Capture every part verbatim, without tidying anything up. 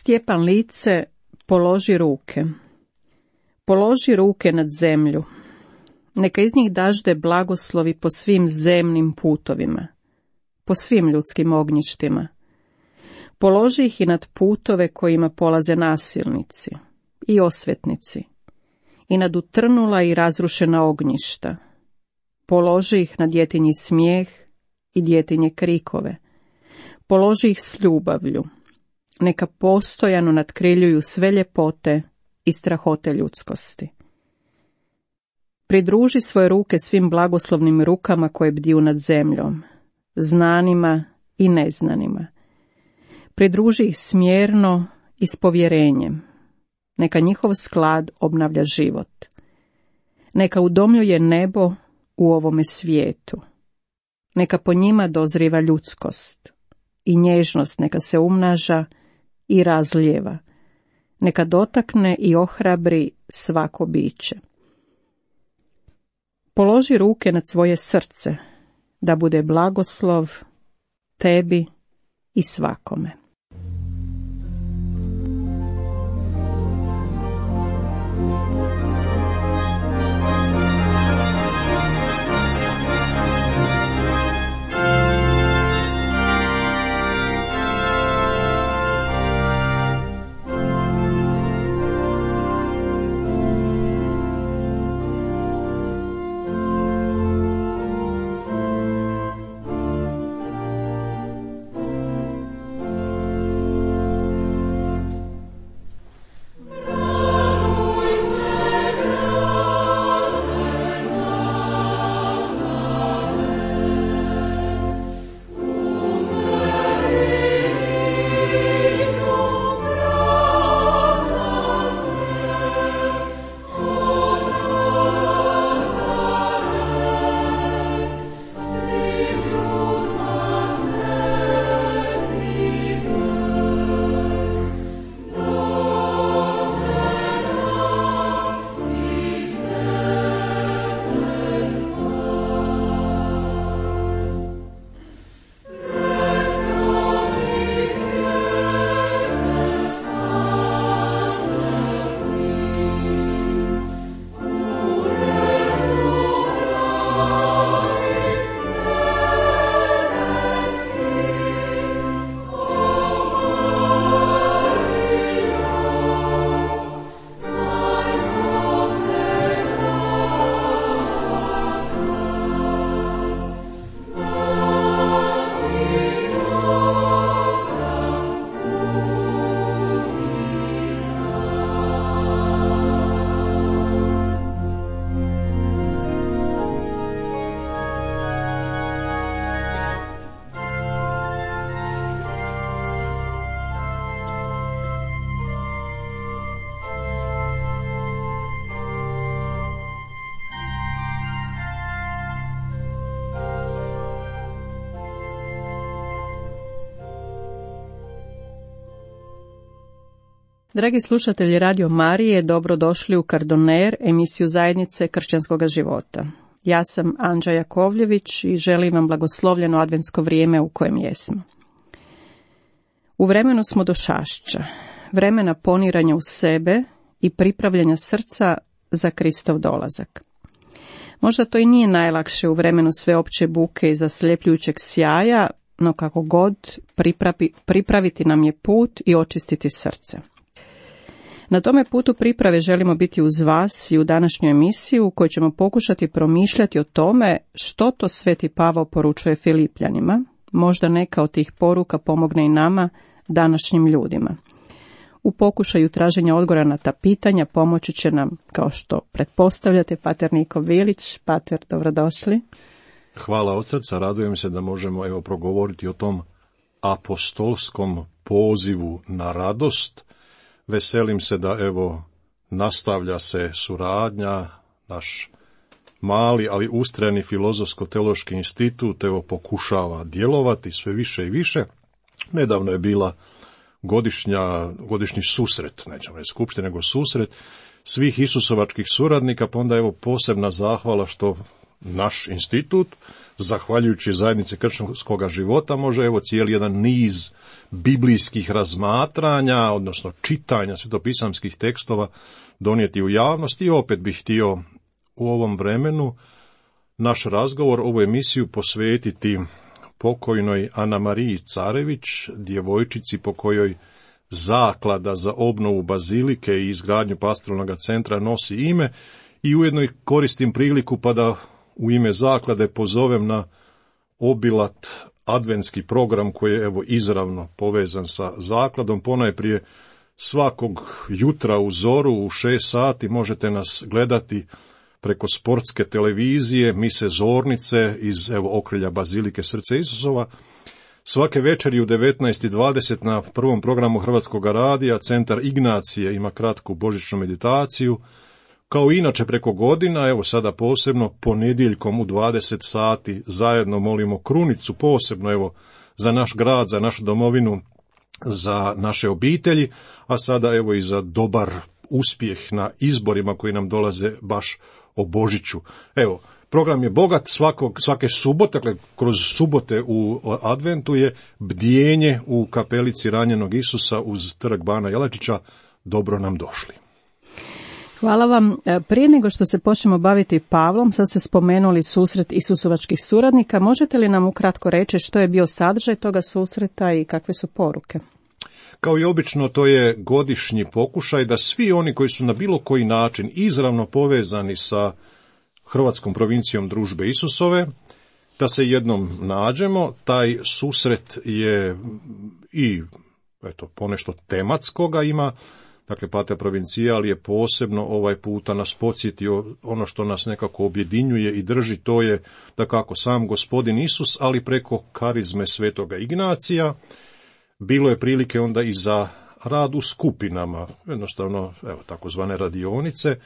Stjepan Lice, položi ruke. Položi ruke nad zemlju. Neka iz njih dažde blagoslovi po svim zemnim putovima, po svim ljudskim ognjištima. Položi ih i nad putove kojima polaze nasilnici i osvetnici, i nad utrnula i razrušena ognjišta. Položi ih na djetinji smijeh i djetinje krikove. Položi ih s ljubavlju. Neka postojano nadkriljuju sve ljepote i strahote ljudskosti. Pridruži svoje ruke svim blagoslovnim rukama koje bdiju nad zemljom, znanima i neznanima. Pridruži ih smjerno i s povjerenjem. Neka njihov sklad obnavlja život. Neka udomljuje nebo u ovome svijetu. Neka po njima dozriva ljudskost i nježnost neka se umnaža i razlijeva. Neka dotakne i ohrabri svako biće. Položi ruke nad svoje srce, da bude blagoslov tebi i svakome. Dragi slušatelji Radio Marije, dobrodošli u Kardoner, emisiju zajednice kršćanskog života. Ja sam Anđa Jakovljević i želim vam blagoslovljeno adventsko vrijeme u kojem jesmo. U vremenu smo došašća, vremena poniranja u sebe i pripravljanja srca za Kristov dolazak. Možda to i nije najlakše u vremenu sveopće buke i zasljepljujućeg sjaja, no kako god pripravi, pripraviti nam je put i očistiti srce. Na tome putu priprave želimo biti uz vas i u današnju emisiju u kojoj ćemo pokušati promišljati o tome što to Sveti Pavao poručuje Filipljanima. Možda neka od tih poruka pomogne i nama, današnjim ljudima. U pokušaju traženja odgovora na ta pitanja pomoći će nam, kao što pretpostavljate, pater Niko Vilić. Pater, dobrodošli. Hvala od srca, radujem se da možemo evo progovoriti o tom apostolskom pozivu na radost. Veselim se da evo nastavlja se suradnja, naš mali, ali ustrajni filozofsko-teološki institut evo pokušava djelovati sve više i više. Nedavno je bila godišnja, godišnji susret, nećemo reći skupštine, nego susret svih isusovačkih suradnika, pa onda evo posebna zahvala što naš institut zahvaljujući zajednici kršćanskog života, može evo cijeli jedan niz biblijskih razmatranja, odnosno čitanja svetopisamskih tekstova donijeti u javnost. I opet bih htio u ovom vremenu naš razgovor, ovu emisiju posvetiti pokojnoj Ana Mariji Carević, djevojčici po kojoj zaklada za obnovu bazilike i izgradnju pastoralnog centra nosi ime, i ujedno i koristim priliku pa da u ime zaklade pozovem na obilat adventski program koji je evo izravno povezan sa zakladom. Ponajprije svakog jutra u zoru u šest sati možete nas gledati preko sportske televizije, mise zornice iz evo okrilja bazilike Srce Isusova. Svake večeri u devetnaest i dvadeset na prvom programu Hrvatskog radija Centar Ignacije ima kratku božićnu meditaciju. Kao inače preko godina, evo sada posebno ponedjeljkom u dvadeset sati zajedno molimo krunicu, posebno evo za naš grad, za našu domovinu, za naše obitelji, a sada evo i za dobar uspjeh na izborima koji nam dolaze baš o Božiću. Evo, program je bogat, svakog, svake subote, dakle kroz subote u adventu je bdjenje u kapelici ranjenog Isusa uz trg Bana Jelačića. Dobro nam došli. Hvala vam. Prije nego što se počnemo baviti Pavlom, sad ste spomenuli susret Isusovačkih suradnika. Možete li nam ukratko reći što je bio sadržaj toga susreta i kakve su poruke? Kao i obično, to je godišnji pokušaj da svi oni koji su na bilo koji način izravno povezani sa Hrvatskom provincijom Družbe Isusove, da se jednom nađemo. Taj susret je i eto, ponešto tematskoga ima. Dakle, Pater Provincijal je posebno ovaj puta nas podsjetio ono što nas nekako objedinjuje i drži, to je da kako sam Gospodin Isus, ali preko karizme Svetoga Ignacija. Bilo je prilike onda i za rad u skupinama, jednostavno evo takozvane radionice,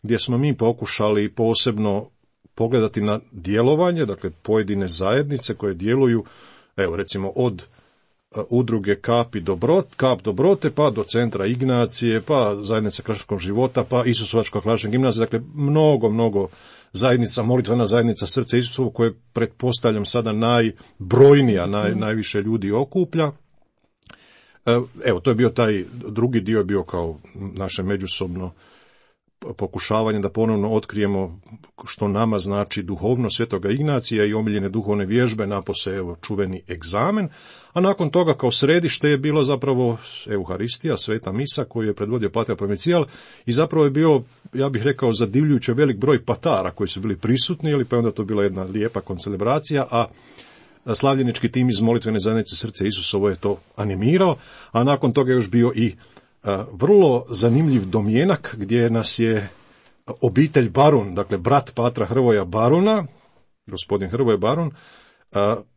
gdje smo mi pokušali posebno pogledati na djelovanje, dakle pojedine zajednice koje djeluju, evo recimo od udruge Kap, Dobrot, Kap Dobrote, pa do Centra Ignacije, pa zajednice kršćanskog života, pa Isusovačka klasična gimnazija, dakle mnogo, mnogo zajednica, molitvena zajednica Srce Isusovo, koje pretpostavljam sada najbrojnija, naj, najviše ljudi okuplja. Evo, to je bio taj drugi dio, je bio kao naše međusobno pokušavanje da ponovno otkrijemo što nama znači duhovno Svetoga Ignacija i omiljene duhovne vježbe, napose evo čuveni egzamen, a nakon toga kao središte je bilo zapravo Euharistija, Sveta Misa koju je predvodio Pater Provincijal i zapravo je bio, ja bih rekao, zadivljujuće velik broj patara koji su bili prisutni, ili pa onda to bila jedna lijepa koncelebracija, a slavljenički tim iz molitvene zajednice Srce Isusovo je to animirao, a nakon toga je još bio i vrlo zanimljiv domjenak gdje nas je obitelj Barun, dakle brat Patra Hrvoja Baruna, gospodin Hrvoje Barun,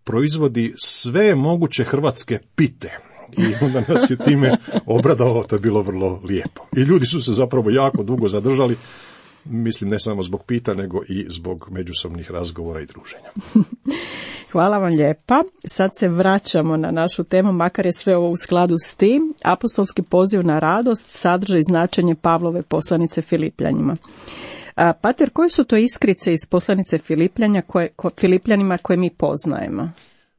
proizvodi sve moguće hrvatske pite. I onda nas je time obradovao, to je bilo vrlo lijepo. I ljudi su se zapravo jako dugo zadržali, mislim ne samo zbog pita, nego i zbog međusobnih razgovora i druženja. Hvala vam lijepa. Sad se vraćamo na našu temu, makar je sve ovo u skladu s tim. Apostolski poziv na radost sadrži značenje Pavlove poslanice Filipljanima. A, Pater, koje su to iskrice iz poslanice Filipljanja koje, ko, Filipljanima koje mi poznajemo?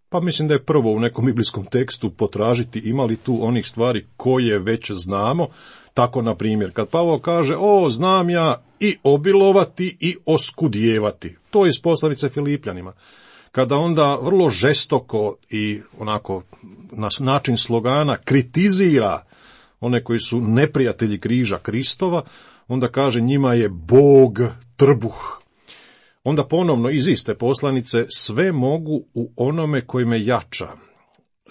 Pa mislim da je prvo u nekom biblijskom tekstu potražiti ima li tu onih stvari koje već znamo. Tako, na primjer, kad Pavao kaže, o, znam ja i obilovati i oskudjevati. To je iz poslanice Filipljanima. Kada onda vrlo žestoko i onako na način slogana kritizira one koji su neprijatelji križa Kristova, onda kaže njima je Bog trbuh. Onda ponovno iz iste poslanice sve mogu u onome koji me jača.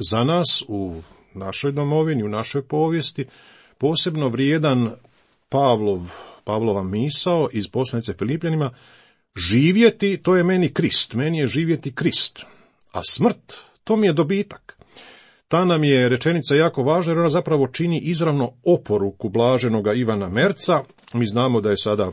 Za nas u našoj domovini, u našoj povijesti, posebno vrijedan Pavlov, Pavlova misao iz poslanice Filipljanima, živjeti, to je meni Krist, meni je živjeti Krist, a smrt, to mi je dobitak. Ta nam je rečenica jako važna jer ona zapravo čini izravno oporuku blaženoga Ivana Merca. Mi znamo da je sada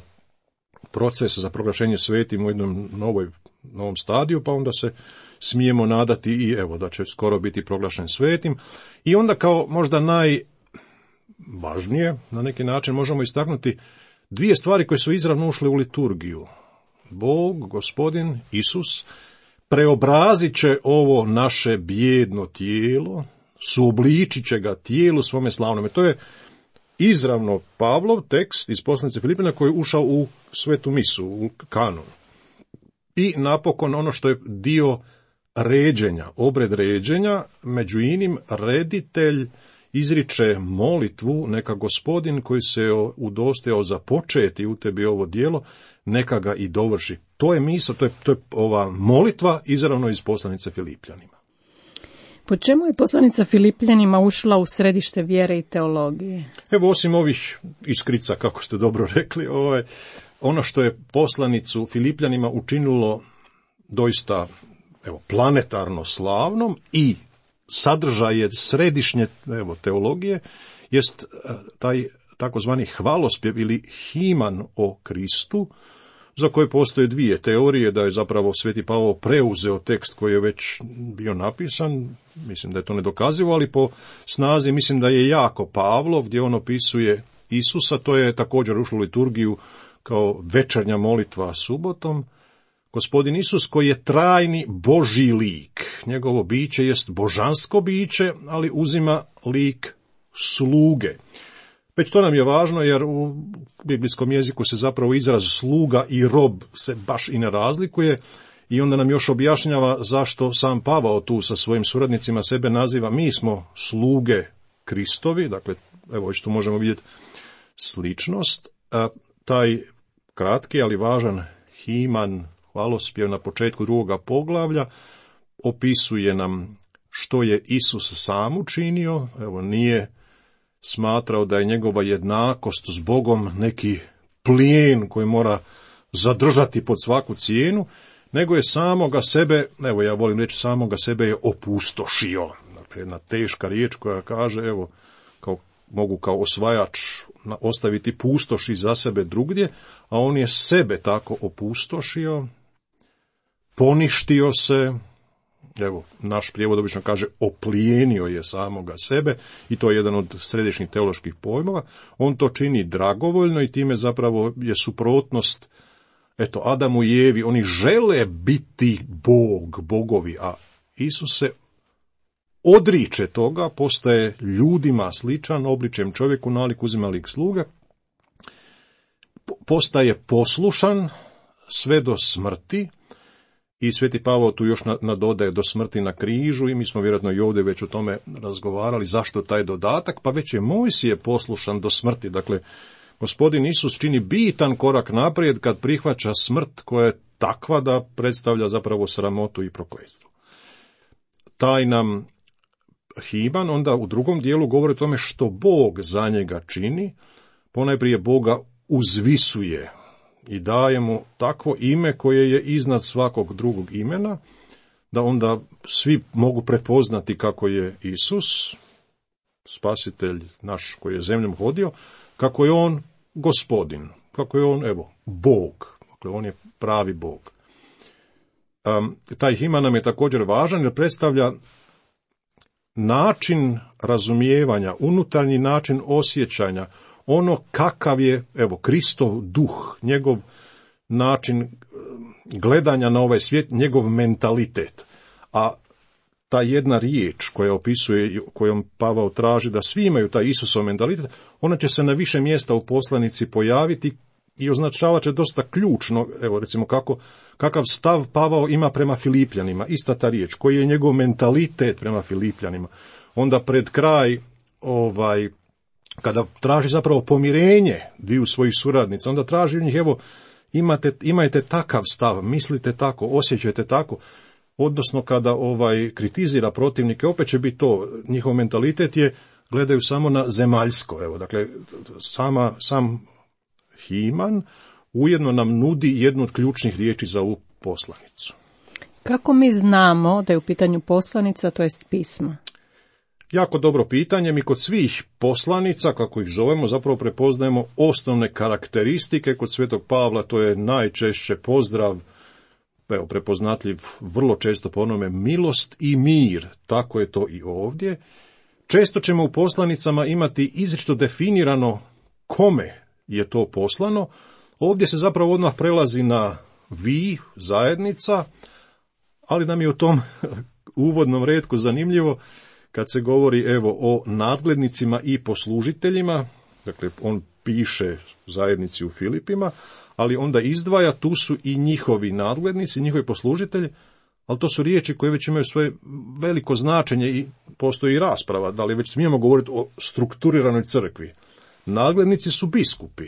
proces za proglašenje svetim u jednom novoj, novom stadiju, pa onda se smijemo nadati i evo da će skoro biti proglašen svetim. I onda kao možda najvažnije, na neki način možemo istaknuti dvije stvari koje su izravno ušle u liturgiju. Bog, Gospodin, Isus, preobrazit će ovo naše bijedno tijelo, suobličit će ga tijelu svome slavnome. To je izravno Pavlov tekst iz poslanice Filipina koji je ušao u svetu misu, u kanon. I napokon ono što je dio ređenja, obred ređenja, među inim reditelj izriče molitvu, neka Gospodin koji se udostojao započeti u tebi ovo djelo, neka ga i dovrši. To je misao, to je, to je ova molitva izravno iz poslanice Filipljanima. Po čemu je poslanica Filipljanima ušla u središte vjere i teologije? Evo, osim ovih iskrica, kako ste dobro rekli, ovaj, ono što je poslanicu Filipljanima učinilo doista evo, planetarno slavnom i sadržaj je središnje evo, teologije, jest taj takozvani hvalospjev ili himan o Kristu, za koje postoje dvije teorije, da je zapravo Sveti Pavao preuzeo tekst koji je već bio napisan, mislim da je to nedokazivo, ali po snazi mislim da je jako Pavlov, gdje on opisuje Isusa, to je također ušlo u liturgiju kao večernja molitva subotom. Gospodin Isus koji je trajni Božji lik, njegovo biće jest božansko biće, ali uzima lik sluge. Već to nam je važno jer u biblijskom jeziku se zapravo izraz sluga i rob se baš i ne razlikuje i onda nam još objašnjava zašto sam Pavao tu sa svojim suradnicima sebe naziva mi smo sluge Kristovi, dakle evo već tu možemo vidjeti sličnost. A taj kratki ali važan himan hvalospjev na početku drugoga poglavlja opisuje nam što je Isus sam učinio, evo nije smatrao da je njegova jednakost s Bogom neki plijen koji mora zadržati pod svaku cijenu, nego je samoga sebe, evo ja volim reći samoga sebe je opustošio. Dakle, jedna teška riječ koja kaže, evo, kao, mogu kao osvajač ostaviti pustoš iza sebe drugdje, a on je sebe tako opustošio, poništio se, evo, naš prijevod obično kaže oplijenio je samoga sebe i to je jedan od središnjih teoloških pojmova. On to čini dragovoljno i time zapravo je suprotnost, eto, Adamu i Evi, oni žele biti Bog, bogovi, a Isus se odriče toga, postaje ljudima sličan, obličjem čovjeku, nalik uzima lik sluge, postaje poslušan sve do smrti. I Sveti Pavao tu još nadodaje do smrti na križu i mi smo vjerojatno i ovdje već o tome razgovarali zašto taj dodatak, pa već je Mojsije poslušan do smrti. Dakle, Gospodin Isus čini bitan korak naprijed kad prihvaća smrt koja je takva da predstavlja zapravo sramotu i prokletstvo. Taj nam himan onda u drugom dijelu govori o tome što Bog za njega čini, ponajprije Boga uzvisuje i daje mu takvo ime koje je iznad svakog drugog imena, da onda svi mogu prepoznati kako je Isus, spasitelj naš koji je zemljom hodio, kako je on Gospodin, kako je on, evo, Bog, dakle on je pravi Bog. Um, taj himan nam je također važan jer predstavlja način razumijevanja, unutarnji način osjećanja, ono kakav je, evo, Kristov duh, njegov način gledanja na ovaj svijet, njegov mentalitet. A ta jedna riječ koja opisuje, kojom Pavao traži da svi imaju taj Isusov mentalitet, ona će se na više mjesta u poslanici pojaviti i označavat će dosta ključno, evo recimo kako, kakav stav Pavao ima prema Filipljanima, ista ta riječ, koji je njegov mentalitet prema Filipljanima. Onda pred kraj, ovaj, kada traži zapravo pomirenje dviju svojih suradnica, onda traži u njih, evo, imate, imajte takav stav, mislite tako, osjećajte tako, odnosno kada ovaj kritizira protivnike, opet će biti to, njihov mentalitet je, gledaju samo na zemaljsko, evo, dakle, sama, sam himan ujedno nam nudi jednu od ključnih riječi za ovu poslanicu. Kako mi znamo da je u pitanju poslanica, to jest pismo? Jako dobro pitanje. Mi kod svih poslanica, kako ih zovemo, zapravo prepoznajemo osnovne karakteristike. Kod Svetog Pavla to je najčešće pozdrav, evo, prepoznatljiv vrlo često po onome milost i mir. Tako je to i ovdje. Često ćemo u poslanicama imati izričito definirano kome je to poslano. Ovdje se zapravo odmah prelazi na vi, zajednica, Ali nam je u tom uvodnom retku zanimljivo kad se govori evo o nadglednicima i poslužiteljima, dakle on piše zajednici u Filipima, ali onda izdvaja, tu su i njihovi nadglednici, njihovi poslužitelji, ali to su riječi koje već imaju svoje veliko značenje i postoji rasprava, da li već smijemo govoriti o strukturiranoj crkvi. Nadglednici su biskupi,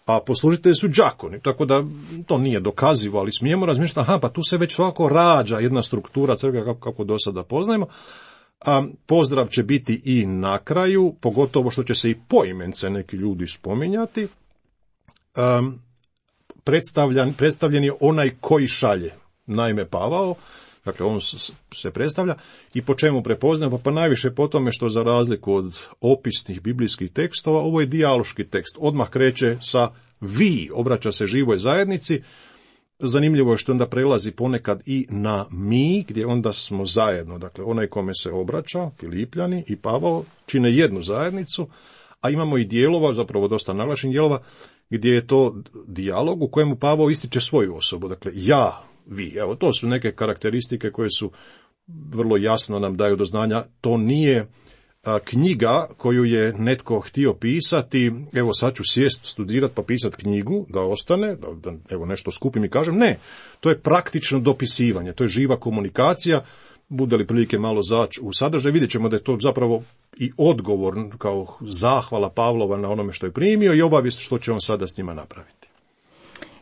a poslužitelji su đakoni, tako da to nije dokazivo, ali smijemo razmišljati, aha, pa tu se već svako rađa jedna struktura crkve kako, kako do sada poznajemo. A pozdrav će biti i na kraju, pogotovo što će se i poimence neki ljudi spominjati. Um, predstavljen, predstavljen je onaj koji šalje, naime Pavao, dakle on se predstavlja i po čemu prepoznajemo, pa najviše po tome što za razliku od opisnih biblijskih tekstova, ovo je dijaloški tekst, odmah kreće sa vi, obraća se živoj zajednici. Zanimljivo je što onda prelazi ponekad i na mi, gdje onda smo zajedno, dakle onaj kome se obraća, Filipljani i Pavao, čine jednu zajednicu, a imamo i dijelova, zapravo dosta naglašenih dijelova, gdje je to dijalog u kojemu Pavao ističe svoju osobu, dakle ja, vi. Evo, to su neke karakteristike koje su vrlo jasno nam daju do znanja, to nije a, knjiga koju je netko htio pisati, evo sad ću sjest, studirati pa pisati knjigu, da ostane, da, da evo nešto skupim i kažem, ne, to je praktično dopisivanje, to je živa komunikacija, bude li prilike malo zaći u sadržaj, vidjet ćemo da je to zapravo i odgovor kao zahvala Pavlova na onome što je primio i obavijest što će on sada s njima napraviti.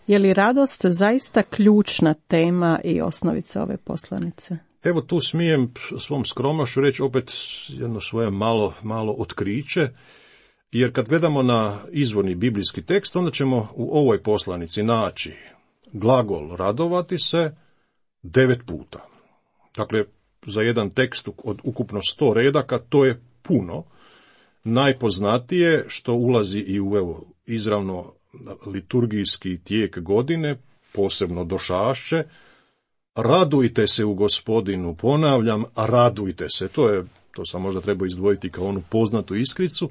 Je li radost zaista ključna tema i osnovica ove poslanice? Evo tu smijem svom skromnošću reći opet jedno svoje malo, malo otkriće, jer kad gledamo na izvorni biblijski tekst, onda ćemo u ovoj poslanici naći glagol radovati se devet puta. Dakle, za jedan tekst od ukupno sto redaka, to je puno. Najpoznatije što ulazi i u evo, izravno liturgijski tijek godine, posebno došašće, radujte se u Gospodinu, ponavljam, radujte se. To je, to sam možda trebao izdvojiti kao onu poznatu iskricu.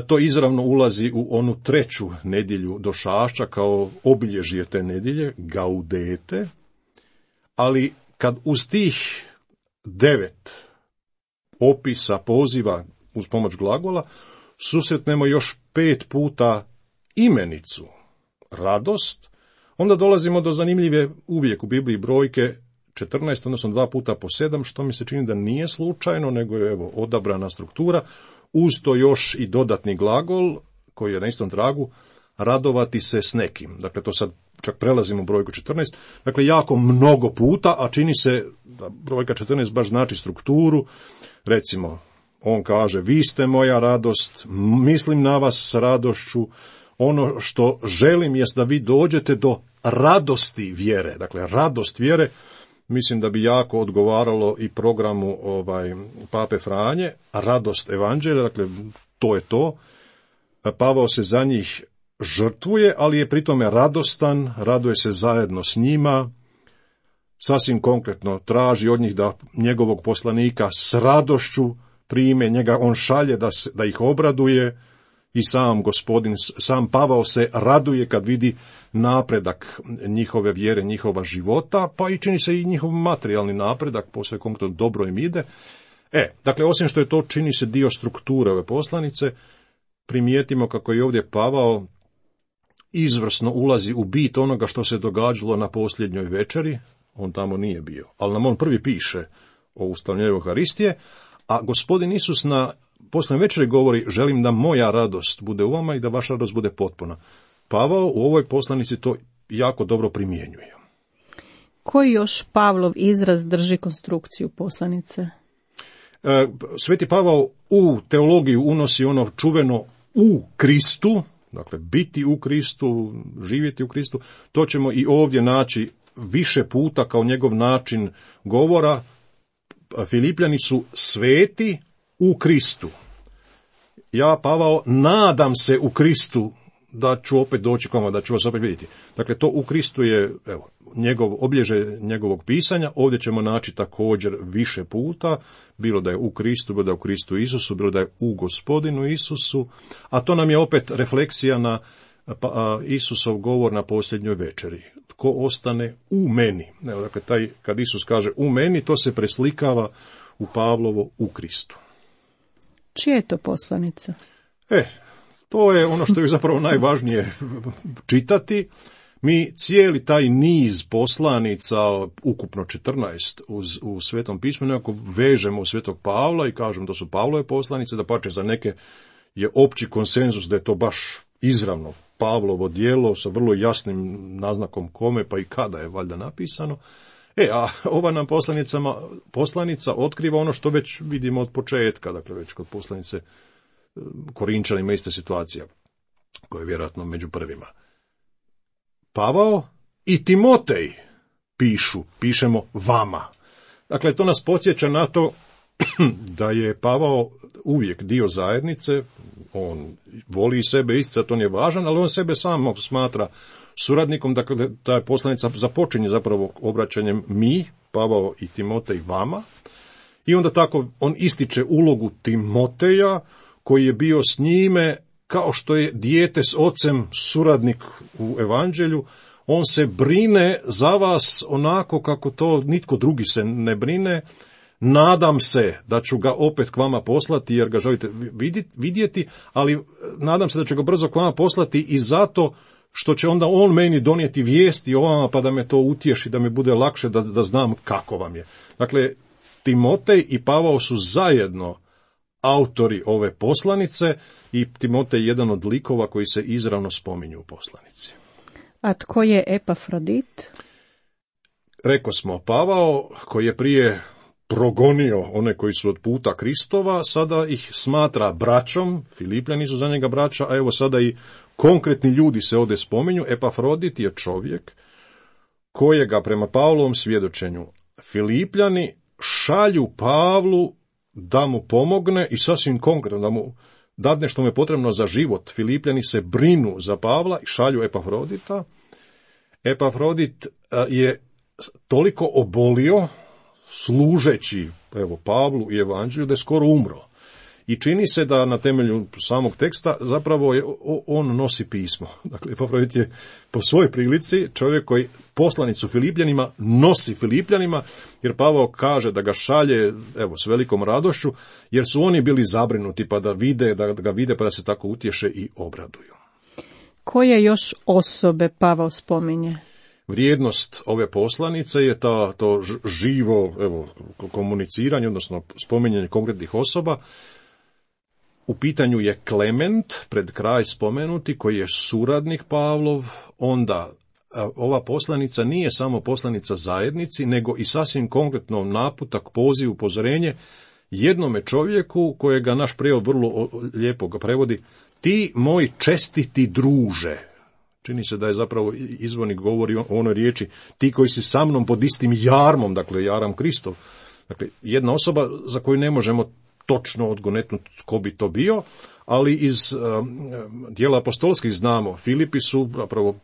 To izravno ulazi u onu treću nedjelju došašća kao obilježje te nedjelje, gaudete, ali kad uz tih devet opisa, poziva uz pomoć glagola, susretnemo još pet puta imenicu, radost, onda dolazimo do zanimljive uvijek u Bibliji brojke četrnaest, odnosno dva puta po sedam, što mi se čini da nije slučajno, nego je evo odabrana struktura, uz to još i dodatni glagol, koji je na istom tragu, radovati se s nekim. Dakle, to sad čak prelazimo u brojku četrnaest, dakle jako mnogo puta, a čini se da brojka četrnaest baš znači strukturu. Recimo, on kaže, vi ste moja radost, mislim na vas s radošću, ono što želim jest da vi dođete do radosti vjere, dakle radost vjere, mislim da bi jako odgovaralo i programu ovaj Pape Franje, radost evanđelja, dakle to je to. Pavao se za njih žrtvuje, ali je pritome radostan, raduje se zajedno s njima, sasvim konkretno traži od njih da njegovog poslanika s radošću prime, njega on šalje da, se, da ih obraduje i sam gospodin, sam Pavao se raduje kad vidi napredak njihove vjere, njihova života, pa i čini se i njihov materijalni napredak, posve konkretno dobro im ide. E, dakle, osim što je to čini se dio strukture ove poslanice, primijetimo kako je ovdje Pavao izvrsno ulazi u bit onoga što se događalo na posljednjoj večeri, on tamo nije bio, ali nam on prvi piše o ustavljanju Euharistije, a gospodin Isus na posljednjoj večeri govori, želim da moja radost bude u vama i da vaša radost bude potpuna. Pavao u ovoj poslanici to jako dobro primjenjuje. Koji još Pavlov izraz drži konstrukciju poslanice? E, Sveti Pavao u teologiju unosi ono čuveno u Kristu, dakle biti u Kristu, živjeti u Kristu, to ćemo i ovdje naći više puta kao njegov način govora. Filipljani su sveti u Kristu. Ja, Pavao, nadam se u Kristu da ću opet doći koma, da ću vas opet vidjeti. Dakle, to u Kristu je evo, njegov obilježje njegovog pisanja. Ovdje ćemo naći također više puta, bilo da je u Kristu, bilo da je u Kristu Isusu, bilo da je u Gospodinu Isusu, a to nam je opet refleksija na pa, Isusov govor na posljednjoj večeri. tko ostane u meni. Evo, dakle, taj, kad Isus kaže u meni, to se preslikava u Pavlovo u Kristu. Čija je to poslanica? E, to je ono što je zapravo najvažnije čitati. Mi cijeli taj niz poslanica, ukupno četrnaest uz, u Svetom pismu, nekako vežemo u Svetog Pavla i kažemo da su Pavlove poslanice, da pače za neke je opći konsenzus da je to baš izravno Pavlovo djelo sa vrlo jasnim naznakom kome pa i kada je valjda napisano. E, a ova nam poslanicama, poslanica otkriva ono što već vidimo od početka, dakle već kod poslanice Korinčanima ista situacija, koja je vjerojatno među prvima. Pavao i Timotej pišu, pišemo vama. Dakle, to nas podsjeća na to da je Pavao uvijek dio zajednice, on voli sebe isticati, on je važan, ali on sebe sam smatra suradnikom, dakle, ta poslanica započinje zapravo obraćanjem mi, Pavao i Timotej vama, i onda tako on ističe ulogu Timoteja, koji je bio s njime kao što je dijete s ocem suradnik u evanđelju. On se brine za vas onako kako to nitko drugi se ne brine. Nadam se da ću ga opet k vama poslati jer ga želite vidjeti, ali nadam se da ću ga brzo k vama poslati i zato što će onda on meni donijeti vijesti o vama pa da me to utješi, da mi bude lakše da, da znam kako vam je. Dakle, Timotej i Pavao su zajedno autori ove poslanice i Timotej je jedan od likova koji se izravno spominju u poslanici. A tko je Epafrodit? Reko smo, Pavao koji je prije progonio one koji su od puta Kristova, sada ih smatra braćom, Filipljani su za njega braća, a evo sada i konkretni ljudi se ovdje spominju. Epafrodit je čovjek kojega prema Pavlovom svjedočenju Filipljani šalju Pavlu da mu pomogne i sasvim konkretno da mu dadne što mu je potrebno za život. Filipljani se brinu za Pavla i šalju Epafrodita. Epafrodit je toliko obolio služeći evo, Pavlu i evanđelju da je skoro umro. I čini se da na temelju samog teksta zapravo je, on nosi pismo. Dakle, Epafrodit je po svojoj prilici čovjek koji poslanicu Filipljanima nosi Filipljanima, jer Pavao kaže da ga šalje evo, s velikom radošću, jer su oni bili zabrinuti pa da vide, da ga vide pa da se tako utješe i obraduju. Koje još osobe Pavao spominje? Vrijednost ove poslanice je ta, to živo evo, komuniciranje, odnosno spominjanje konkretnih osoba. U pitanju je Klement, pred kraj spomenuti, koji je suradnik Pavlov. Onda ova poslanica nije samo poslanica zajednici, nego i sasvim konkretno naputak, poziv, upozorenje jednome čovjeku kojega naš prijevod vrlo lijepo ga prevodi, ti moj čestiti druže. Čini se da je zapravo izvornik govori o onoj riječi ti koji si sa mnom pod istim jarmom, dakle jaram Kristov. Dakle, jedna osoba za koju ne možemo točno odgonetnuti tko bi to bio, ali iz um, dijela apostolskih znamo, Filipi su zapravo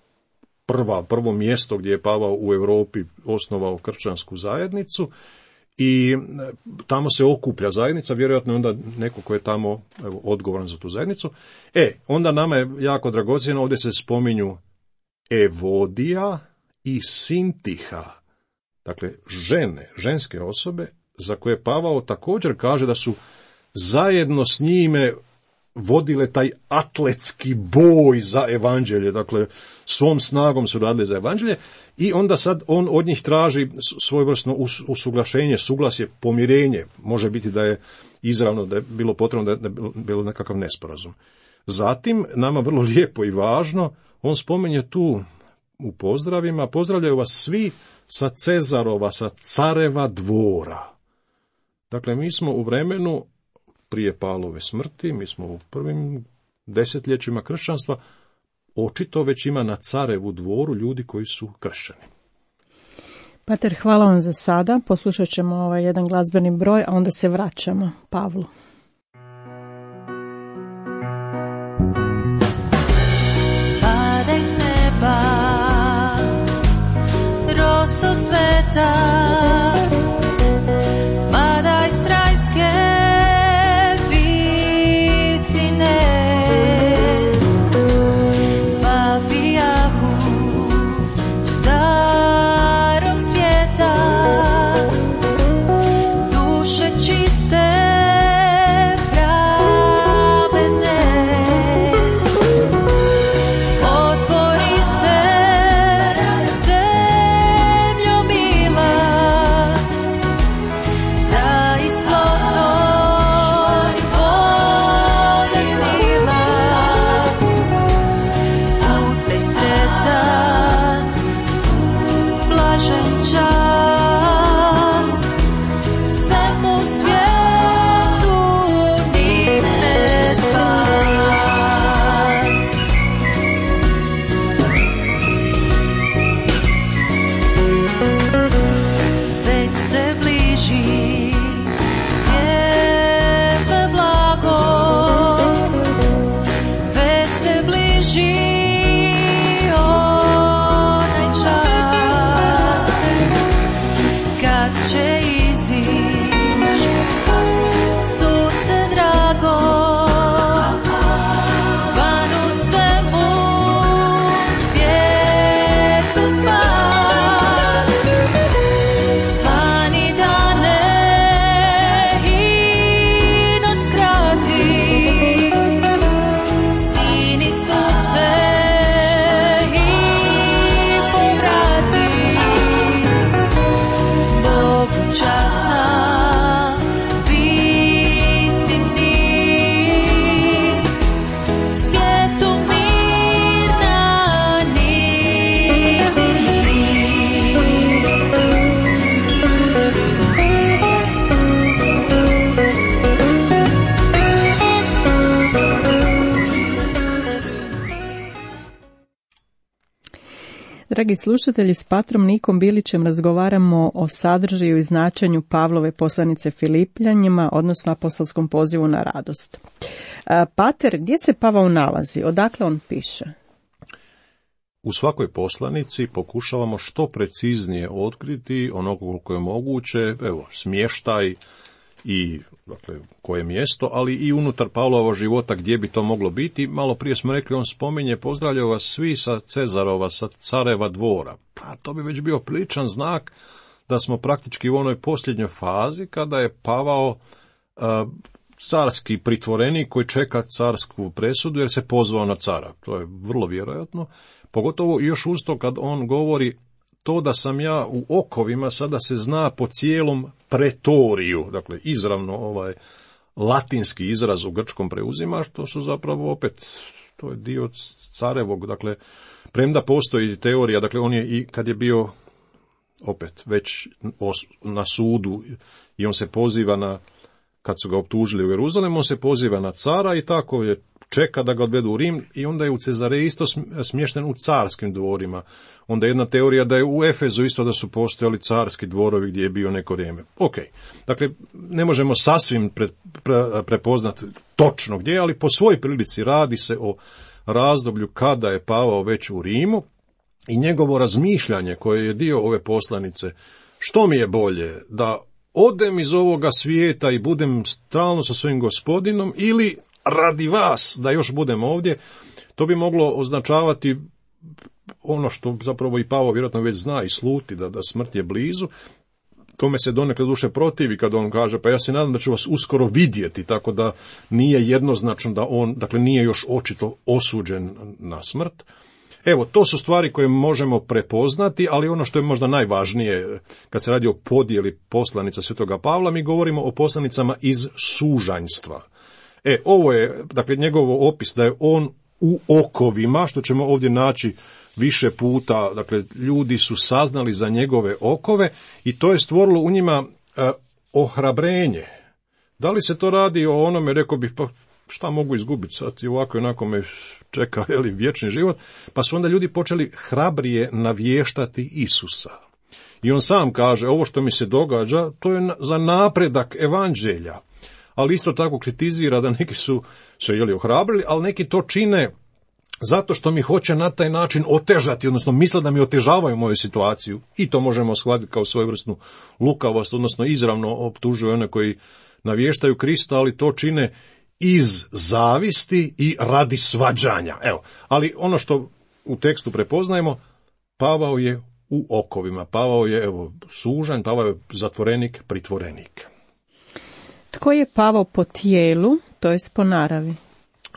prva, prvo mjesto gdje je Pavao u Europi osnovao kršćansku zajednicu i tamo se okuplja zajednica, vjerojatno je onda neko ko je tamo evo, odgovoran za tu zajednicu. E, onda nama je jako dragocjeno, ovdje se spominju Evodija i Sintiha, dakle žene, ženske osobe, za koje Pavao također kaže da su zajedno s njime vodile taj atletski boj za evanđelje, dakle svom snagom su radili za evanđelje i onda sad on od njih traži svojevrsno usuglašenje, suglasje, pomirenje. Može biti da je izravno da je bilo potrebno da je bilo nekakav nesporazum. Zatim, nama vrlo lijepo i važno, on spominje tu u pozdravima, pozdravljaju vas svi sa Cezarova, sa careva dvora. Dakle, mi smo u vremenu prije Pavlove smrti, mi smo u prvim desetljećima kršćanstva, očito već ima na carevu dvoru ljudi koji su kršćani. Pater, hvala vam za sada. Poslušat ćemo ovaj jedan glazbeni broj, a onda se vraćamo Pavlu. Padaj s neba, rosto sveta, padaj s trajske visine, papijahu, stav Dragi slušatelji, s patrom Nikom Bilićem razgovaramo o sadržaju i značenju Pavlove poslanice Filipljanima, odnosno apostolskom pozivu na radost. Pater, gdje se Pavao nalazi? Odakle on piše? U svakoj poslanici pokušavamo što preciznije otkriti ono koliko je moguće, evo, smještaj i dakle, koje mjesto, ali i unutar Pavlovog života gdje bi to moglo biti. Malo prije smo rekli, on spominje, pozdravljaju vas svi sa Cezarova, sa careva dvora. Pa to bi već bio priličan znak da smo praktički u onoj posljednjoj fazi kada je Pavao uh, carski pritvorenik koji čeka carsku presudu jer se pozvao na cara. To je vrlo vjerojatno. Pogotovo još uz to kad on govori to da sam ja u okovima, sada se zna po cijelom pretoriju, dakle izravno ovaj latinski izraz u grčkom preuzima, što su zapravo opet, to je dio carevog, dakle, premda postoji teorija, dakle on je i kad je bio opet već na sudu i on se poziva na, kad su ga optužili u Jeruzalemu, on se poziva na cara i tako je čeka da ga odvedu u Rim i onda je u Cezareji isto smješten u carskim dvorima. Onda je jedna teorija da je u Efezu isto da su postojali carski dvorovi gdje je bio neko vrijeme. Ok, dakle, ne možemo sasvim pre, pre, prepoznati točno gdje, ali po svoj prilici radi se o razdoblju kada je Pavao već u Rimu i njegovo razmišljanje koje je dio ove poslanice, što mi je bolje, da odem iz ovoga svijeta i budem stalno sa svojim gospodinom ili radi vas da još budem ovdje, to bi moglo označavati ono što zapravo i Pavao vjerojatno već zna i sluti, da, da smrt je blizu. Tome se donekle duše protivi kad on kaže, pa ja se nadam da ću vas uskoro vidjeti, tako da nije jednoznačno da on, dakle nije još očito osuđen na smrt. Evo, to su stvari koje možemo prepoznati, ali ono što je možda najvažnije kad se radi o podjeli poslanica Svetoga Pavla, mi govorimo o poslanicama iz sužanjstva. E, ovo je, dakle, njegov opis da je on u okovima, što ćemo ovdje naći više puta, dakle, ljudi su saznali za njegove okove i to je stvorilo u njima e, ohrabrenje. Da li se to radi o onome, rekao bih, pa šta mogu izgubiti sad i ovako i onako me čeka jeli, vječni život, pa su onda ljudi počeli hrabrije navještati Isusa. I on sam kaže, ovo što mi se događa, to je za napredak evanđelja. Ali isto tako kritizira da neki su se jeli ohrabrili, ali neki to čine zato što mi hoće na taj način otežati, odnosno misle da mi otežavaju moju situaciju. I to možemo shvatiti kao svojevrsnu lukavost, odnosno izravno optužuju one koji navještaju Krista, ali to čine iz zavisti i radi svađanja. Evo, ali ono što u tekstu prepoznajemo, Pavao je u okovima, Pavao je evo sužanj, Pavao je zatvorenik, pritvorenik. Tko je Pavao po tijelu, to jest po naravi?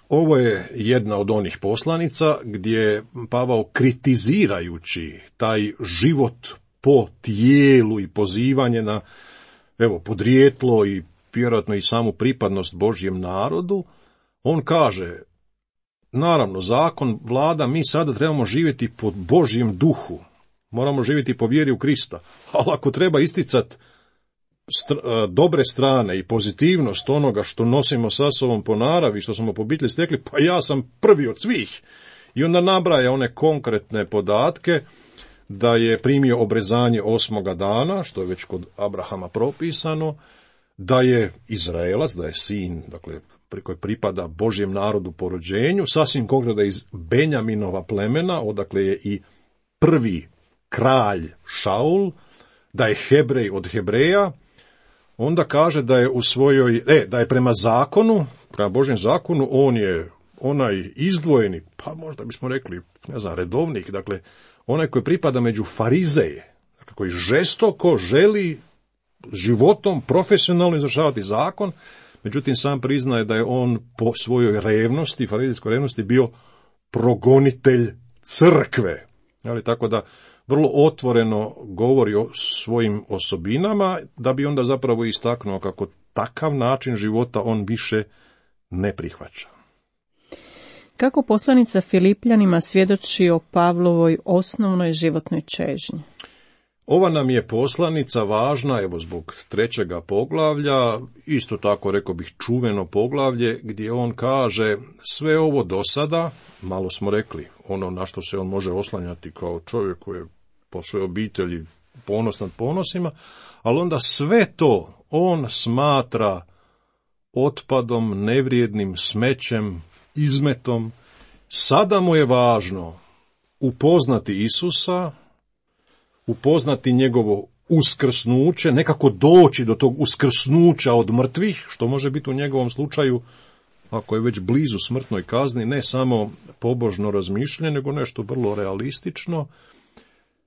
Ovo je jedna od onih poslanica gdje Pavao kritizirajući taj život po tijelu i pozivanje na evo podrijetlo i vjerojatno i samu pripadnost Božjem narodu, on kaže, naravno, zakon vlada, mi sada trebamo živjeti po Božjem duhu, moramo živjeti po vjeri u Krista, ali ako treba isticati Str- dobre strane i pozitivnost onoga što nosimo sa sobom po naravi, što smo po obitelji stekli, pa ja sam prvi od svih. I onda nabraja one konkretne podatke da je primio obrezanje osmoga dana, što je već kod Abrahama propisano, da je Izraelac, da je sin, dakle, koji pripada Božjem narodu po rođenju, sasvim konkretno da je iz Benjaminova plemena, odakle je i prvi kralj Šaul, da je Hebrej od Hebreja, onda kaže da je u svojoj, e, da je prema zakonu, prema Božjem zakonu, on je onaj izdvojeni, pa možda bismo rekli, ne znam, redovnik, dakle, onaj koji pripada među farizeje, dakle, koji žestoko želi životom profesionalno izvršavati zakon, međutim sam priznaje da je on po svojoj revnosti, farizejskoj revnosti, bio progonitelj crkve. Ali tako da vrlo otvoreno govori o svojim osobinama, da bi onda zapravo istaknuo kako takav način života on više ne prihvaća. Kako poslanica Filipljanima svjedoči o Pavlovoj osnovnoj životnoj čežnji? Ova nam je poslanica važna, evo zbog trećega poglavlja, isto tako rekao bih čuveno poglavlje, gdje on kaže sve ovo do sada, malo smo rekli, ono na što se on može oslanjati kao čovjek koji je po svojoj obitelji ponos nad ponosima, ali onda sve to on smatra otpadom, nevrijednim smećem, izmetom. Sada mu je važno upoznati Isusa, upoznati njegovo uskrsnuće, nekako doći do tog uskrsnuća od mrtvih, što može biti u njegovom slučaju, ako je već blizu smrtnoj kazni, ne samo pobožno razmišljanje, nego nešto vrlo realistično.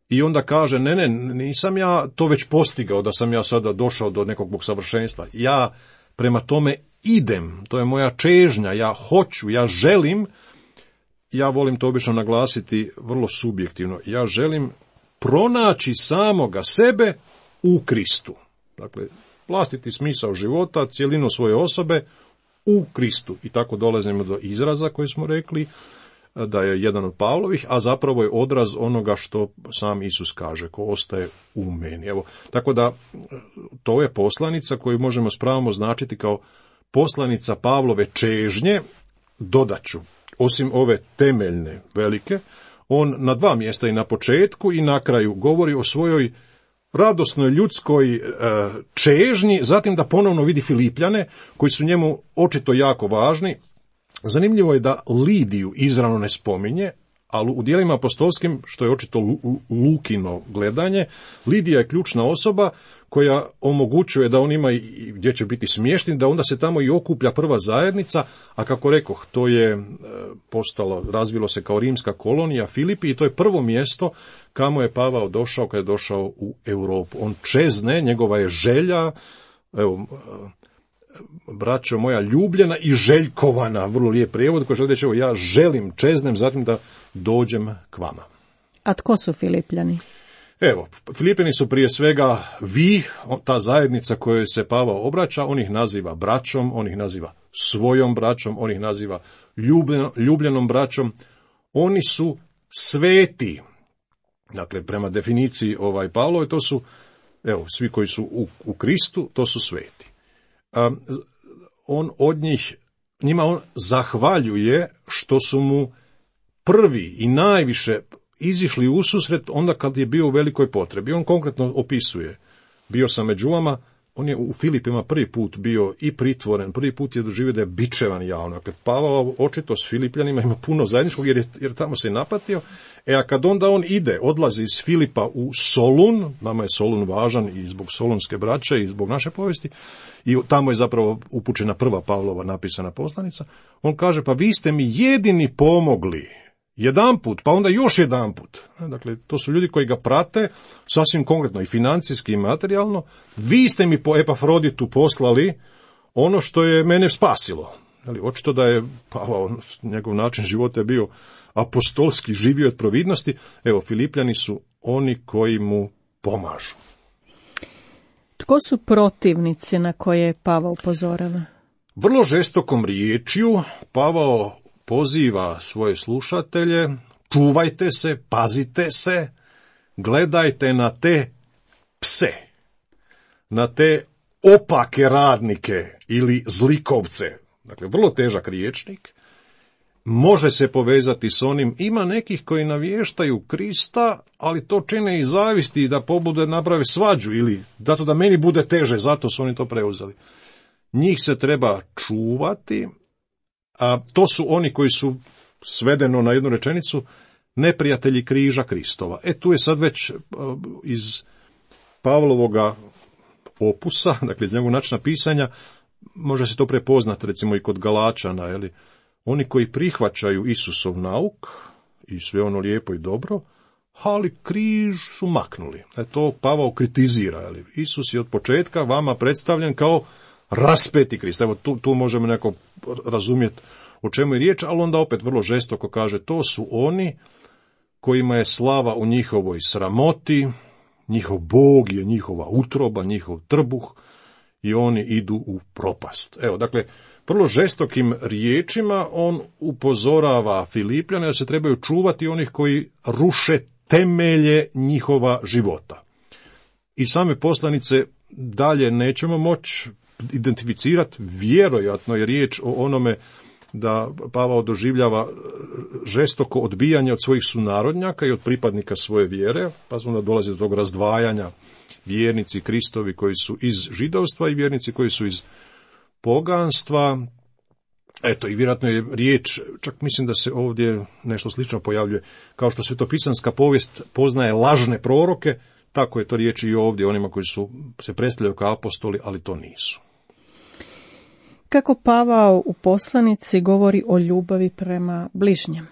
I onda kaže, ne, ne, nisam ja to već postigao, da sam ja sada došao do nekog savršenstva. Ja prema tome idem, to je moja čežnja, ja hoću, ja želim, ja volim to obično naglasiti vrlo subjektivno, ja želim pronaći samoga sebe u Kristu. Dakle, vlastiti smisao života, cjelinu svoje osobe u Kristu. I tako dolazimo do izraza koji smo rekli, da je jedan od Pavlovih, a zapravo je odraz onoga što sam Isus kaže, ko ostaje u meni. Evo, tako da to je poslanica koju možemo s pravom označiti kao poslanica Pavlove čežnje. Dodaću, osim ove temeljne velike, on na dva mjesta, i na početku i na kraju, govori o svojoj radosnoj ljudskoj e, čežnji, zatim da ponovno vidi Filipljane, koji su njemu očito jako važni. Zanimljivo je da Lidiju izravno ne spominje, ali u djelima apostolskim, što je očito Lukino gledanje, Lidija je ključna osoba koja omogućuje da on ima i gdje će biti smješten, da onda se tamo i okuplja prva zajednica, a kako rekoh, to je postalo, razvilo se kao rimska kolonija Filipi i to je prvo mjesto kamo je Pavao došao kad je došao u Europu. On čezne, njegova je želja, evo, braćo moja, ljubljena i željkovana, vrlo lijep prijevod koji želi reći, evo, ja želim, čeznem, zatim da dođem k vama. A tko su Filipljani? Evo, Filipljani su prije svega vi, ta zajednica kojoj se Pavao obraća, on ih naziva braćom, on ih naziva svojom braćom, on ih naziva ljubljeno, ljubljenom braćom, oni su sveti. Dakle, prema definiciji ovaj Pavlove, to su, evo, svi koji su u, u Kristu, to su sveti. A, on od njih, njima on zahvaljuje što su mu prvi i najviše izišli u susret onda kad je bio u velikoj potrebi. On konkretno opisuje, bio sam među vama, on je u Filipima prvi put bio i pritvoren, prvi put je doživio da je bičevan javno. Dakle, Pavao očito s Filipljanima ima puno zajedničkog jer, je, jer tamo se je napatio. E, a kad onda on ide, odlazi iz Filipa u Solun, nama je Solun važan i zbog solunske braće i zbog naše povijesti, i tamo je zapravo upućena prva Pavlova napisana poslanica, on kaže, pa vi ste mi jedini pomogli, jedanput, pa onda još jedanput. Dakle, to su ljudi koji ga prate, sasvim konkretno i financijski i materijalno. Vi ste mi po Epafroditu poslali ono što je mene spasilo. Ali, očito da je Pavao, njegov način života je bio apostolski, živio od providnosti. Evo, Filipljani su oni koji mu pomažu. Tko su protivnici na koje Pavao upozorava? Vrlo žestokom riječju Pavao poziva svoje slušatelje, čuvajte se, pazite se, gledajte na te pse, na te opake radnike ili zlikovce. Dakle, vrlo težak riječnik, može se povezati s onim, ima nekih koji navještaju Krista, ali to čine i zavisti da pobude naprave svađu ili zato da meni bude teže, zato su oni to preuzeli. Njih se treba čuvati, a to su oni koji su, svedeno na jednu rečenicu, neprijatelji križa Kristova. E, tu je sad već iz Pavlovoga opusa, dakle iz njegovog načina pisanja, može se to prepoznati recimo i kod Galačana, jeli, oni koji prihvaćaju Isusov nauk i sve ono lijepo i dobro, ali križ su maknuli. E, to Pavao kritizira. Jeli. Isus je od početka vama predstavljen kao raspeti Krist. Evo, tu, tu možemo neko razumjeti o čemu je riječ, ali onda opet vrlo žestoko kaže, to su oni kojima je slava u njihovoj sramoti, njihov Bog je njihova utroba, njihov trbuh i oni idu u propast. Evo, dakle, vrlo žestokim riječima on upozorava Filipljane da se trebaju čuvati onih koji ruše temelje njihova života. i same poslanice dalje nećemo moći identificirati, vjerojatno je riječ o onome da Pavao doživljava žestoko odbijanje od svojih sunarodnjaka i od pripadnika svoje vjere, pa onda dolazi do tog razdvajanja, vjernici Kristovi koji su iz židovstva i vjernici koji su iz poganstva. Eto, i vjerojatno je riječ, čak mislim da se ovdje nešto slično pojavljuje, kao što svetopisanska povijest poznaje lažne proroke, tako je to riječ i ovdje onima koji su se predstavljaju kao apostoli, ali to nisu. Kako Pavao u poslanici govori o ljubavi prema bližnjem?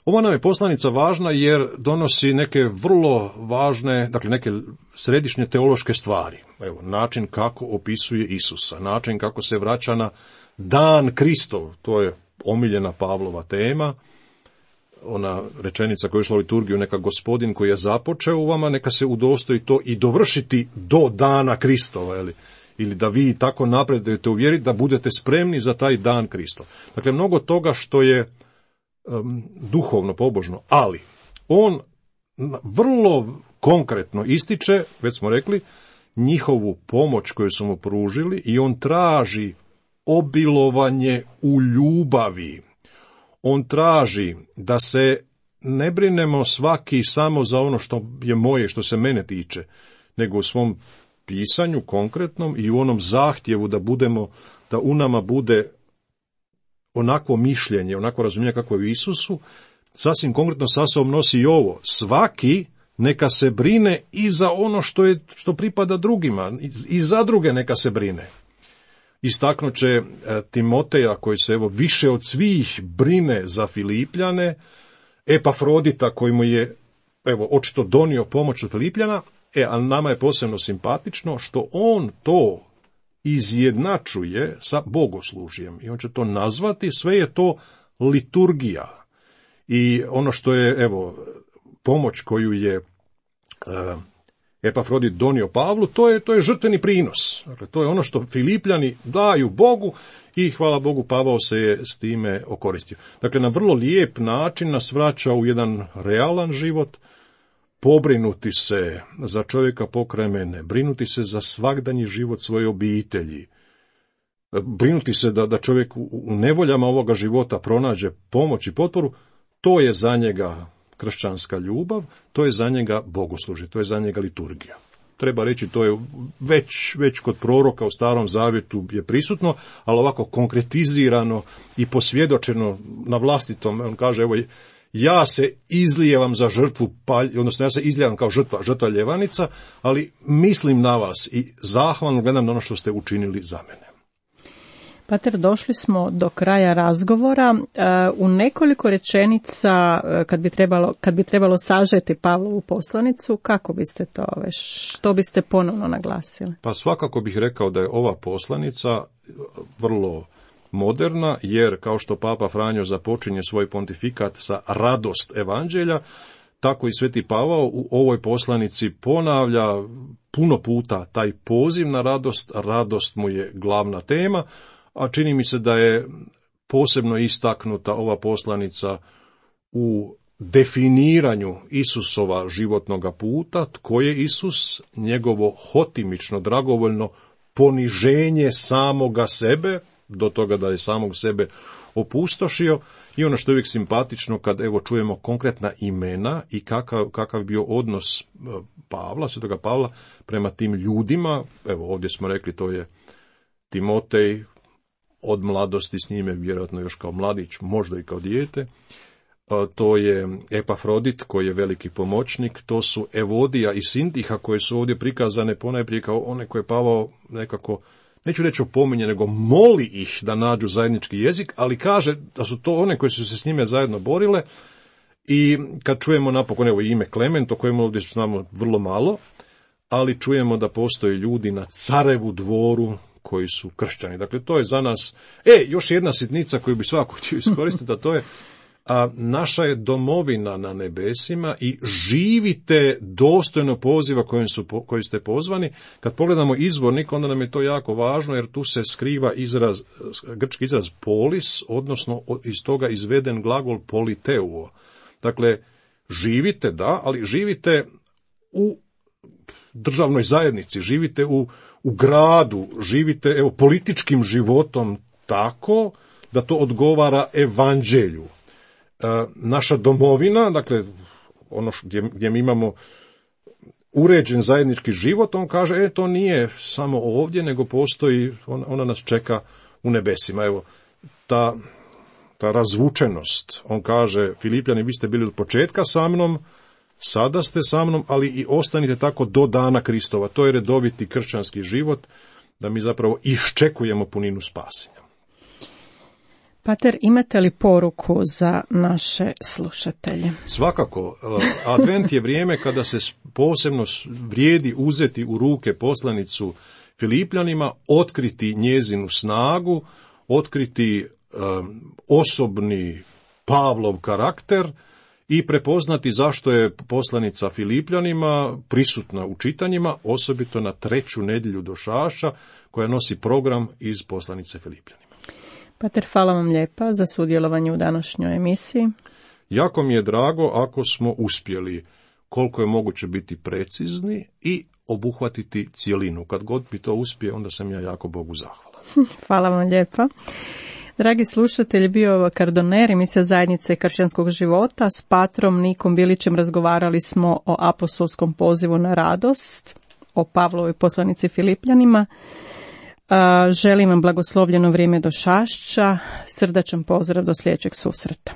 Ova nam je poslanica važna jer donosi neke vrlo važne, dakle neke središnje teološke stvari. Evo, način kako opisuje Isusa, način kako se vraća na dan Kristov, to je omiljena Pavlova tema, ona rečenica koja je išla u liturgiju, neka Gospodin koji je započeo u vama, neka se udostoji to i dovršiti do dana Kristova, ili, ili da vi tako napredujete u vjeri, da budete spremni za taj dan Kristov. Dakle, mnogo toga što je um, duhovno, pobožno, ali on vrlo konkretno ističe, već smo rekli, njihovu pomoć koju su mu pružili i on traži obilovanje u ljubavi. On traži da se ne brinemo svaki samo za ono što je moje, što se mene tiče, nego u svom pisanju konkretnom i u onom zahtjevu da budemo, da u nama bude onako mišljenje, onako razumijevanje kako je u Isusu, sasvim konkretno sa sobom nosi i ovo. Svaki neka se brine i za ono što je, što pripada drugima, i za druge neka se brine. Istaknut će Timoteja, koji se evo više od svih brine za Filipljane, Epafrodita koji mu je evo očito donio pomoć od Filipljana, e, ali nama je posebno simpatično što on to izjednačuje sa bogoslužjem i on će to nazvati, sve je to liturgija. I ono što je evo pomoć koju je uh, Epafrodit donio Pavlu, to je, to je žrtveni prinos. Dakle, to je ono što Filipljani daju Bogu i hvala Bogu Pavao se je s time okoristio. Dakle, na vrlo lijep način nas vraća u jedan realan život, pobrinuti se za čovjeka pokraj mene, brinuti se za svagdanji život svoje obitelji, brinuti se da, da čovjek u, u nevoljama ovoga života pronađe pomoć i potporu, to je za njega kršćanska ljubav, to je za njega bogoslužje, to je za njega liturgija. Treba reći, to je već, već kod proroka u Starom Zavjetu je prisutno, ali ovako konkretizirano i posvjedočeno na vlastitom, on kaže, evo, ja se izlijevam za žrtvu, palj, odnosno ja se izlijevam kao žrtva, žrtva ljevanica, ali mislim na vas i zahvalno gledam na ono što ste učinili za mene. Pater, došli smo do kraja razgovora. U nekoliko rečenica, kad bi trebalo, kad bi trebalo sažeti Pavlovu poslanicu, kako biste to, što biste ponovno naglasili? Pa svakako bih rekao da je ova poslanica vrlo moderna, jer kao što Papa Franjo započinje svoj pontifikat sa radost evanđelja, tako i Sveti Pavao u ovoj poslanici ponavlja puno puta taj poziv na radost, radost mu je glavna tema, a čini mi se da je posebno istaknuta ova poslanica u definiranju Isusova životnoga puta, tko je Isus, njegovo hotimično, dragovoljno poniženje samoga sebe, do toga da je samog sebe opustošio, i ono što je uvijek simpatično kad evo čujemo konkretna imena i kakav, kakav je bio odnos Pavla, svetoga Pavla, prema tim ljudima. Evo ovdje smo rekli, to je Timotej, od mladosti s njime, vjerojatno još kao mladić, možda i kao dijete. To je Epafrodit koji je veliki pomoćnik, to su Evodija i Sintiha koje su ovdje prikazane ponajprije kao one koje Pavao nekako, neću reći opominje, nego moli ih da nađu zajednički jezik, ali kaže da su to one koje su se s njime zajedno borile. I kad čujemo napokon evo ime Klement, o kojemu ovdje znamo vrlo malo, ali čujemo da postoje ljudi na carevu dvoru koji su kršćani. Dakle, to je za nas, e, još jedna sitnica koju bi svako htio iskoristiti, a to je, a naša je domovina na nebesima i živite dostojno poziva kojim su, koji ste pozvani. Kad pogledamo izvornik, onda nam je to jako važno, jer tu se skriva izraz, grčki izraz polis, odnosno iz toga izveden glagol politeuo. Dakle, živite, da, ali živite u državnoj zajednici, živite u, u gradu, živite evo, političkim životom tako da to odgovara evanđelju. E, naša domovina, dakle, ono gdje, gdje mi imamo uređen zajednički život, on kaže, e, to nije samo ovdje, nego postoji, ona, ona nas čeka u nebesima. Evo, ta, ta razvučenost, on kaže, Filipljani, vi ste bili od početka sa mnom, sada ste sa mnom, ali i ostanite tako do dana Kristova. To je redoviti kršćanski život, da mi zapravo iščekujemo puninu spasenja. Pater, imate li poruku za naše slušatelje? Svakako, advent je vrijeme kada se posebno vrijedi uzeti u ruke poslanicu Filipljanima, otkriti njezinu snagu, otkriti um, osobni Pavlov karakter i prepoznati zašto je poslanica Filipljanima prisutna u čitanjima, osobito na treću nedjelju Došaša, koja nosi program iz poslanice Filipljanima. Pater, hvala vam lijepa za sudjelovanje u današnjoj emisiji. Jako mi je drago ako smo uspjeli koliko je moguće biti precizni i obuhvatiti cijelinu. Kad god mi to uspije, onda sam ja jako Bogu zahvalan. Hvala vam lijepa. Dragi slušatelji, bio je ovo Kardoner, emisija Zajednice kršćanskog života. S patrom Nikom Bilićem razgovarali smo o apostolskom pozivu na radost, o Pavlovoj poslanici Filipljanima. Želim vam blagoslovljeno vrijeme Došašća, srdačan pozdrav do sljedećeg susreta.